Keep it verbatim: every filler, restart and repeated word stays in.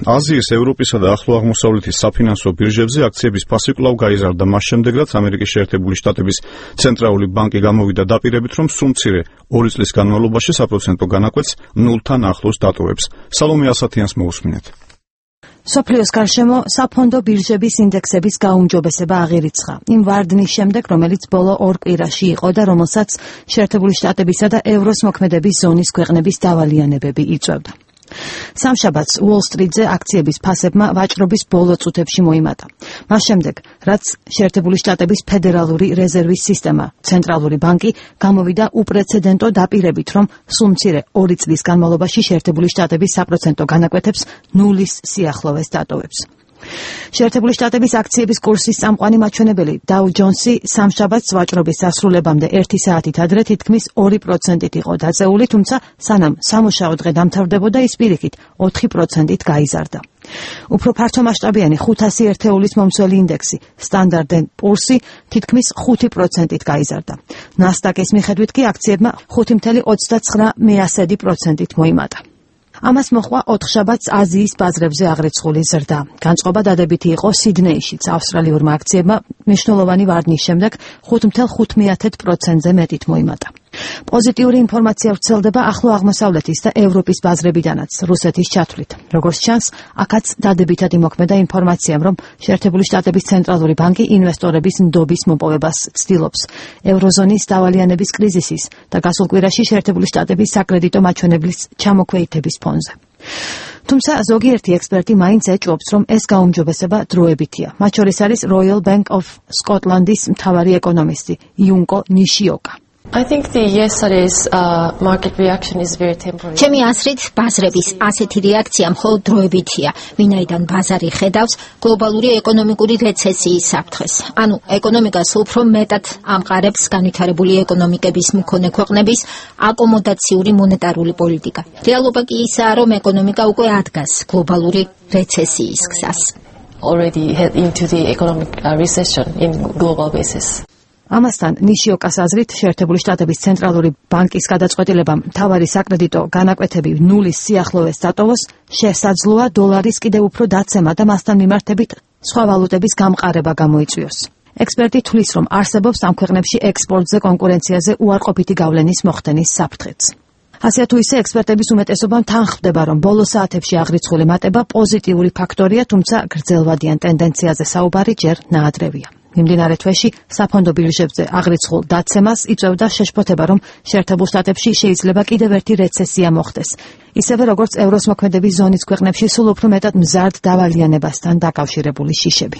აზიის, ევროპისა და ახლო აღმოსავლეთის საფინანსო ბირჟებზე აქციების ფასი კვლავ გაიზარდა მას შემდეგ, რაც ამერიკის შეერთებული შტატების ცენტრალური ბანკი გამოვიდა დაპირებით, რომ სულ მცირე ორი წლის განმავლობაში საპროცენტო განაკვეთს ნულთან ახლოს დატოვებს. სალომე ასათიანს მოусმინეთ. სოფლიოს გარშემო საფონდო ბირჟების ინდექსების გაუმჯობესება აღირიცხა. იმ ვარდნის შემდეგ, რომელიც ბოლო ორ კვირაში იყო და რომელსაც შეერთებული შტატებისა და ევროს მოქმედების ზონის ქვეყნების დავალიანებები იწვევდა. სამშაბათს უოლ-სტრიტზე აქციების ფასებმა ვაჭრობის ბოლო წუთებში მოიმატა. მას შემდეგ, რაც შეერთებული შტატების ფედერალური რეზერვის სისტემა, ცენტრალური ბანკი გამოვიდა უპრეცედენტო დაპირებით, რომ სულ მცირე ორი წლის განმავლობაში შეერთებული შტატების საპროცენტო განაკვეთებს ნულის სიახლოვეს დატოვებს. შეერთებული შტატების აქციების კურსის წამყვანი მაჩვენებელი დაუ ჯონსი სამშაბათს ვაჭრობის დასრულებამდე ერთი საათით ადრე თითქმის ორი პროცენტით იყო დაწეული, თუმცა სანამ სამუშაო დღე დამთავრდებოდა, ის პირიქით ოთხი პროცენტით გაიზარდა. უფრო ფართომასშტაბიანი ხუთასი ერთეულის მომცველი ინდექსი, სტანდარტ ენდ პურსი, თითქმის ხუთი პროცენტით გაიზარდა. ნასდაკის მიხედვით კი აქციებმა ხუთი virgulă ოცდაცხრა პროცენტით მოიმატა. ამას მოჰყვა ოთხშაბათს აზიის ბაზრებზე აღრიცხული ზრდა. განწყობა დადებითი იყო სიდნეიშიც. ავსტრალიურმა აქციებმა მნიშვნელოვანი ვარდნის შემდეგ ხუთი virgulă ხუთ პროცენტზე მეტით მოიმატა. პოზიტიური ინფორმაცია ვრცელდება ახლო აღმოსავლეთის და ევროპის ბაზრებიდანაც, რუსეთის ჩათვლით. როგორც ჩანს, აქაც დადებითად იმოქმედა ინფორმაციამ, რომ შეერთებული შტატების ცენტრალური ბანკი ინვესტორების ნდობის მოპოვებას ცდილობს ევროზონის დავალიანების კრიზისის და გასულ კვირაში შეერთებული შტატების საკრედიტო მაჩვენებლის ჩამოქვეითების ფონზე. თუმცა ზოგიერთი ექსპერტი მაინც ეჭვობს, რომ ეს გაუმჯობესება დროებითია. მათ შორის არის Royal Bank of Scotland's მთავარი ეკონომისტი იუნკო ნიშიოკა. I think the yesterday's uh, market reaction is very temporary. ჩემი აზრით, ბაზრების ასეთი რეაქცია მხოლოდ დროებითია, ვინაიდან ბაზარი ხედავს გლობალური ეკონომიკური რეცესიის საფრთხეს. ანუ ეკონომიკას უფრო მეტად ამყარებს განვითარებული ეკონომიკების მქონე ქვეყნების აკომოდაციური მონეტარული პოლიტიკა. რეალობა კი ისაა, რომ ეკონომიკა უკვე ადგას გლობალური რეცესიის გზას. Already head into the economic uh, recession in global basis. ამასთან ნიშიოკას აზრით, შეერთებული შტატების ცენტრალური ბანკის გადაწყვეტილებამ მთავარი საკრედიტო განაკვეთები ნულის სიახლოვეს დატოვოს, შესაძლოა დოლარის კიდევ უფრო დაცემა და მასთან მიმართებით სხვა ვალუტების გამყარება გამოიწვიოს. ექსპერტი თვლის, რომ არსებობს ამ ქვეყნებში ექსპორტზე კონკურენციაზე უარყოფითი გავლენის მოხდენის საფრთხეც. ასე თუ ისე, ექსპერტების უმეტესობამ თანხმდება, რომ ბოლო საათებში აღრიცხული მატება პოზიტიური ფაქტორია, თუმცა გრძელვადიან ტენდენციაზე საუბარი ჯერ ნაადრევია. მიმდინარე თვეში საფონდო ბირჟებზე აღრიცხულ დაცემას იწვევდა შეშფოთება, რომ შეერთებულ შტატებში შეიძლება კიდევ ერთი რეცესია მოხდეს. ისევე როგორც ევროს მოქმედების ზონის ქვეყნებში სულ უფრო მეტად მზარდ დავალიანებასთან დაკავშირებული შიშები.